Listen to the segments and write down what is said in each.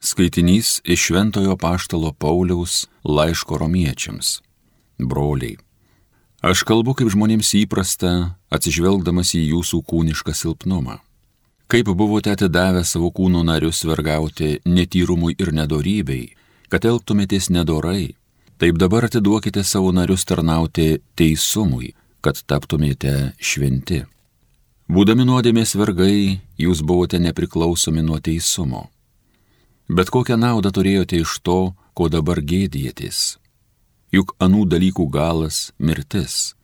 Skaitinys iš Šventojo apaštalo Pauliaus laiško romiečiams. Broliai, aš kalbu kaip žmonėms įprasta, atsižvelgdamas į jūsų kūnišką silpnumą. Kaip buvote atidavę savo kūno narius vergauti netyrumui ir nedorybei, kad elgtumėtės nedorai, taip dabar atiduokite savo narius tarnauti teisumui, kad taptumėte šventi. Būdami nuodėmės vergai, jūs buvote nepriklausomi nuo teisumo. Bet kokią naudą turėjote iš to, ko dabar gėdijatės? Juk anų dalykų galas – mirtis.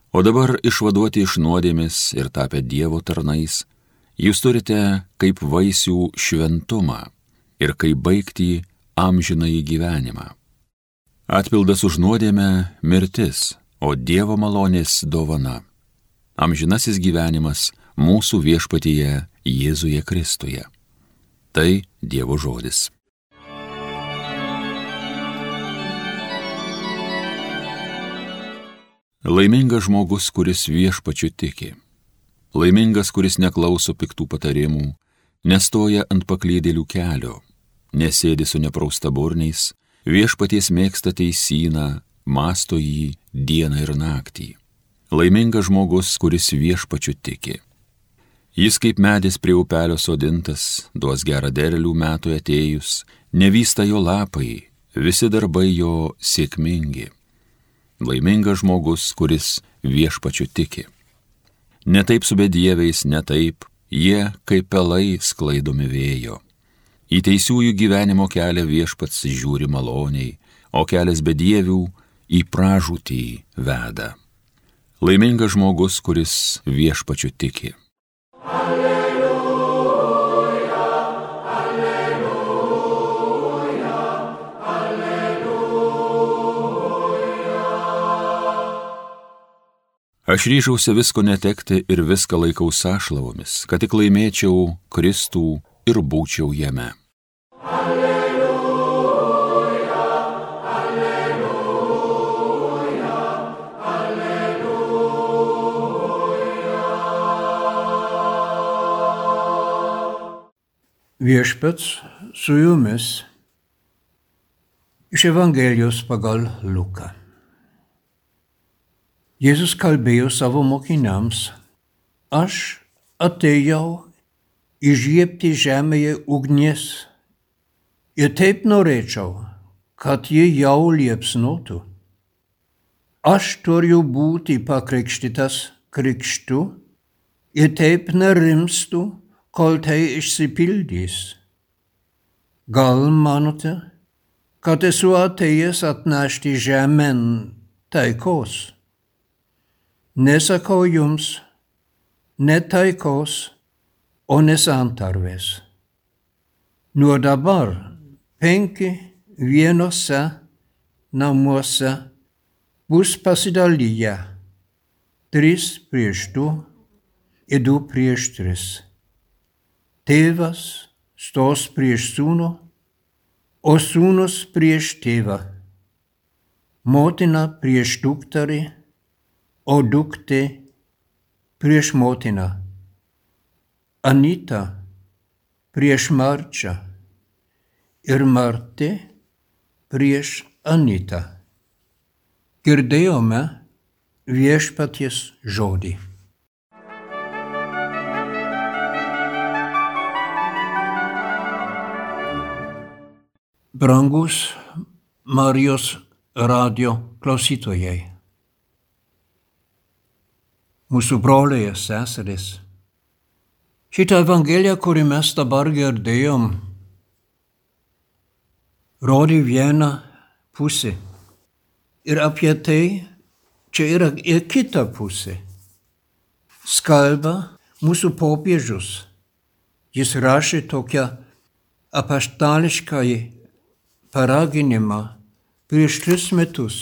O dabar išvaduoti iš nuodėmės ir tapę Dievo tarnais, jūs turite kaip vaisių šventumą ir kaip baigtį amžinąjį gyvenimą. Atpildas už nuodėmę – mirtis, o Dievo malonės dovana. Amžinasis gyvenimas mūsų viešpatyje Jėzuje Kristuje. Tai Dievo žodis. Laimingas žmogus, kuris viešpačiu tiki. Laimingas, kuris neklauso piktų patarimų, nestoja ant paklydėlių kelio, nesėdi su nepraustaburniais, viešpaties mėgsta teisyną, mąsto jį dieną ir naktį. Laimingas žmogus, kuris viešpačiu tiki. Jis kaip medis prie upelio sodintas, duos gerą derlių metui atėjus, nevysta jo lapai, visi darbai jo sėkmingi. Laimingas žmogus, kuris viešpačiu tiki. Ne taip su bedieviais, ne taip, jie kaip pelai sklaidomi vėjo. Į teisiųjų gyvenimo kelią viešpats žiūri maloniai, o kelias bedievių į pražūtį veda. Laimingas žmogus, kuris viešpačiu tiki. Aš ryžausi visko netekti ir viską laikau sąšlavomis, kad tik laimėčiau Kristų ir būčiau jame. Alleluja, alleluja, alleluja. Viešpats su jumis iš Evangelijos pagal Luką. Jėzus kalbėjo savo mokiniams, aš atėjau įžiebti žemėje ugnies ir taip norėčiau, kad ji jau liepsnotų. Aš turiu būti pakrikštytas krikštu ir taip nerimstu, kol tai išsipildys. Gal manote, kad esu atėjęs atnešti žemėn taikos? Nesakau jums, ne taikos, o ne santarvės. Nuo dabar 5 vienose namuose bus pasidaliję, 3 prieš 2 ir 2 prieš 3. Tėvas stos prieš sūnų, o sūnus prieš tėvą. Motina prieš dukterį, o duktė prieš motiną. Anita prieš Marčią ir Martė prieš Anitą. Girdėjome viešpaties žodį. Brangus Marijos radio klausytojai. Mūsų broliai ir seserys. Šitą Evangeliją, kurį mes dabar girdėjom, rodė vieną pusę. Ir apie tai čia yra ir kita pusė. Skalba mūsų popiežius. Jis rašė tokią apaštališką paraginimą prieš 3 metus.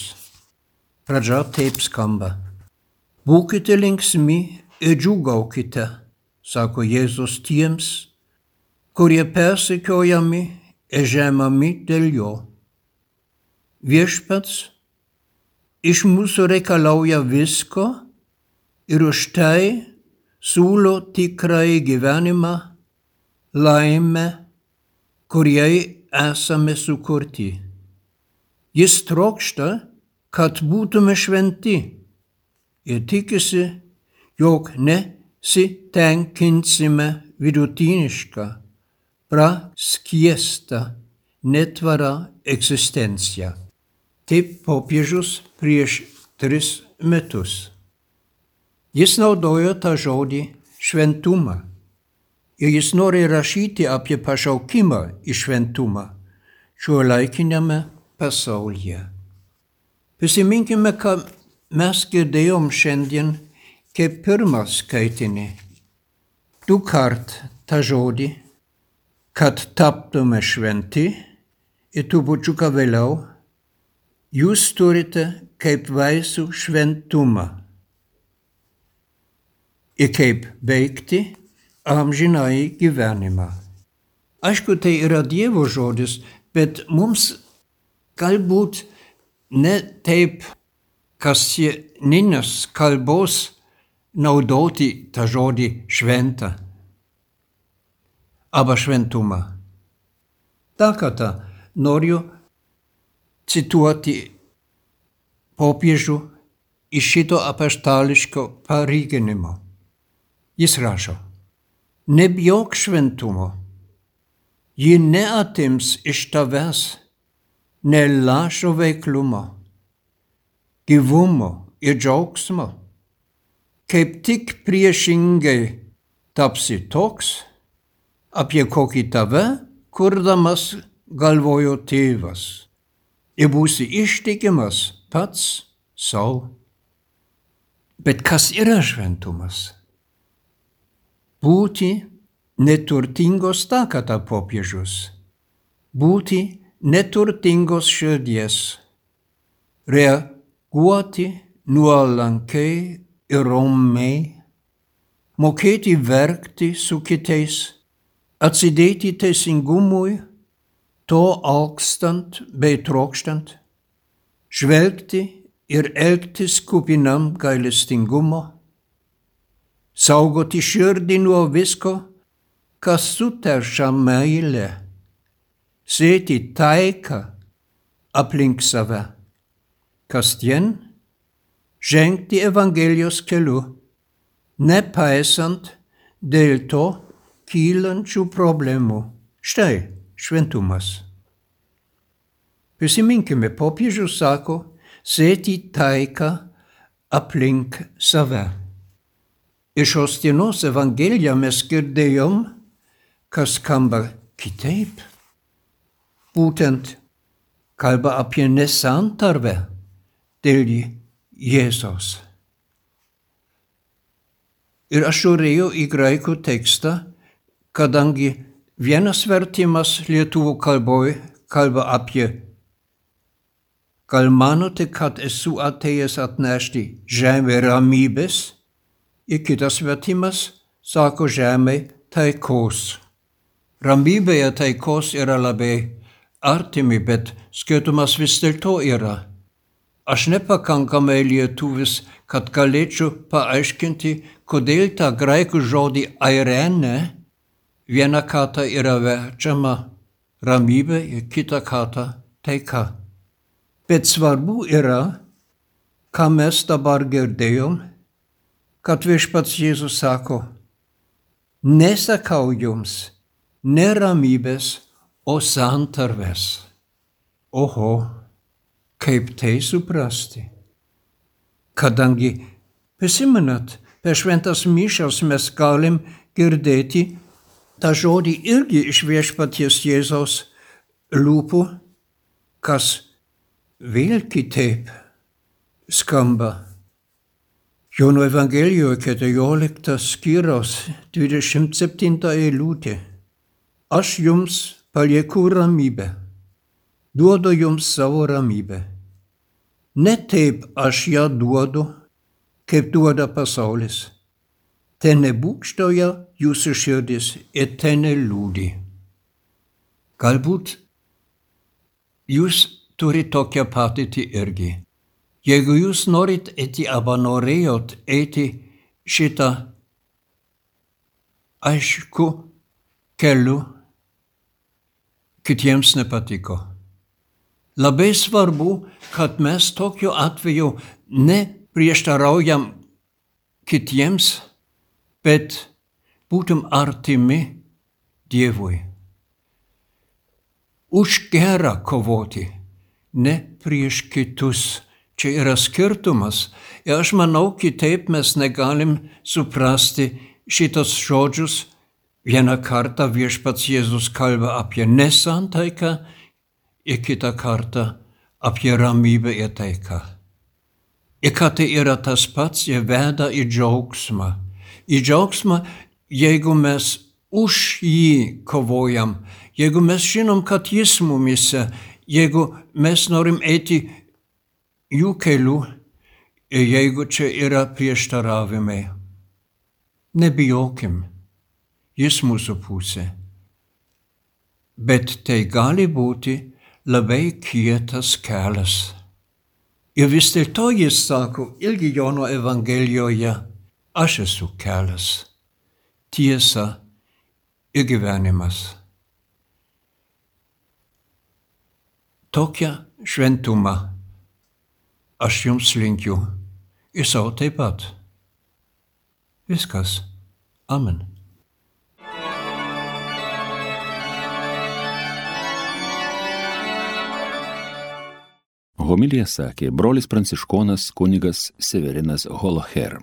Pradžia taip skamba. Būkite linksmi ir džiūgaukite, sako Jėzus tiems, kurie persekiojami ir žemami dėl jo. Viešpats iš mūsų reikalauja visko ir už tai siūlo tikrąjį gyvenimą, laimę, kuriai esame sukurti. Jis trokšta, kad būtume šventi ir tikisi, jog nesitenkinsime vidutinišką, praskiestą, netvarą egzistenciją. Taip popiežius prieš 3 metus. Jis naudojo tą žodį šventumą ir jis nori rašyti apie pašaukimą į šventumą šiuolaikiniame pasaulyje. Prisiminkime, ką mes girdėjom šiandien kaip pirmą skaitinį. 2 kart tą žodį, kad taptume šventi ir trupučiuką vėliau, jūs turite kaip vaisių šventumą ir kaip veikti amžinąjį gyvenimą. Aišku, tai yra Dievo žodis, bet mums galbūt ne taip kasdieninės kalbos naudoti tą žodį šventą arba šventumą. Dar kartą noriu cituoti popiežių iš šito apaštališko palyginimo. Jis rašo: nebijok šventumo, ji neatims iš tavęs ne lašo veiklumo, gyvumo ir džiaugsmo, kaip tik priešingai tapsi toks, apie kokį tave kurdamas galvojo tėvas, ir būsi ištikimas pats sau. Bet kas yra šventumas? Būti neturtingos takata popiežius, būti neturtingos širdies, reaguoti nuolankiai ir ramiai, mokėti verkti su kitais, atsidėti teisingumui, to alkstant bei trokštant, žvelgti ir elgtis kupinam gailestingumo, saugoti širdį nuo visko, kas suteršia meilę, sėti taiką aplink save, kasdien žengti Evangelijos keliu, nepaisant dėl to kylančių problemų. Štai šventumas. Prisiminkime, popiežius sako, sėti taiką aplink save. Iš šios dienos Evangeliją mes girdėjom, kas skamba kitaip. Būtent kalba apie nesantarvę dėl Jėzaus. Ir aš žiūrėjau į graikų tekstą, kadangi vienas vertimas lietuvių kalboje kalba apie gal manote, kad esu atėjęs atnešti žemė ramybės, ir kitas vertimas sako žemė taikos. Ramybė ir taikos yra labai artimi, bet skirtumas vis dėlto yra. Aš nepakankamai lietuvis, kad galėčiau paaiškinti, kodėl tą graikų žodį airene vieną kartą yra verčiama ramybė ir kitą kartą taika. Bet svarbu yra, ką mes dabar girdėjom, kad viešpats Jėzus sako, nesakau jums ne ramybės, o santarvės. Oho, kaip tai suprasti? Kadangi, prisimenat, per šventas mišias mes galim girdėti tą žodį irgi iš viešpaties Jėzaus lūpų, kas vėl kitaip skamba. Jono Evangelijoje 14 skyriaus 27 eilutė. Aš jums palieku ramybę, duodu jums savo ramybę. Ne taip aš ją duodu, kaip duoda pasaulis. Ten nebūgštauja jūsų širdis ir ten neliūdi. Galbūt jūs turite tokią patirtį irgi. Jeigu jūs norit eiti arba norėjot eiti šitą aišku keliu, kitiems nepatiko. Labai svarbu, kad mes tokiu atveju neprieštaraujam kitiems, bet būtum artimi Dievui. Už gerą kovoti, ne prieš kitus. Čia yra skirtumas. Ir aš manau, kitaip mes negalim suprasti šitos žodžius. Vieną kartą viešpats Jėzus kalba apie nesantaiką ir kitą kartą apie ramybę ir taiką. Ir kad tai yra tas pats, jie veda į džiaugsmą. Į džiaugsmą, jeigu mes už jį kovojam, jeigu mes žinom, kad jis mumise, jeigu mes norim eiti jų kelių ir jeigu čia yra prieštaravimai. Nebijokim, jis mūsų pusė. Bet tai gali būti labai kietas kelias. Ir vis dėlto jis sako, irgi Jono Evangelijoje, aš esu kelias, tiesa ir gyvenimas. Tokią šventumą aš jums linkiu ir savo taip pat. Viskas. Amen. Homiliją sakė brolis pranciškonas kunigas Severinas Holoher.